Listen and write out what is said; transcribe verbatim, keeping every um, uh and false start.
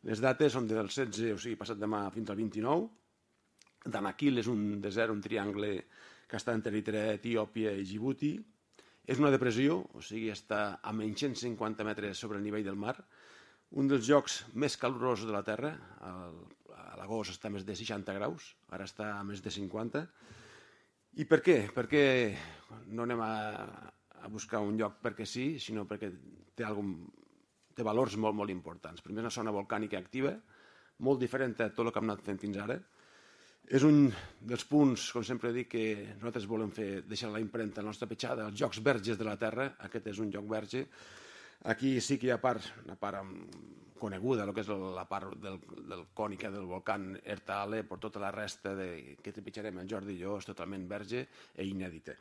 Les dates són del setze, o sigui, passat demà fins al vint-i-nou. Danakil és un desert, un triangle que està entre Eritrea, Etiòpia i Djibouti. És una depressió, o sigui, està a menys cent cinquanta metres sobre el nivell del mar. Un dels llocs més calorosos de la Terra. A l'agost està a més de seixanta graus, ara està a més de cinquanta. I per què? Perquè no anem a, a buscar un lloc perquè sí, sinó perquè té, algun, té valors molt, molt importants. Primer, és una zona volcànica activa, molt diferent a tot el que hem anat fent fins ara. És un dels punts, com sempre dic, que nosaltres volem fer, deixar la impremta, la nostra petjada, els llocs verges de la Terra. Aquest és un lloc verge. Aquí sí que hi ha part, una part coneguda, el que és la part del, del cònica del volcán Erta Ale, per tota la resta de, que trepitjarem en Jordi i jo, és totalment verge i inèdita.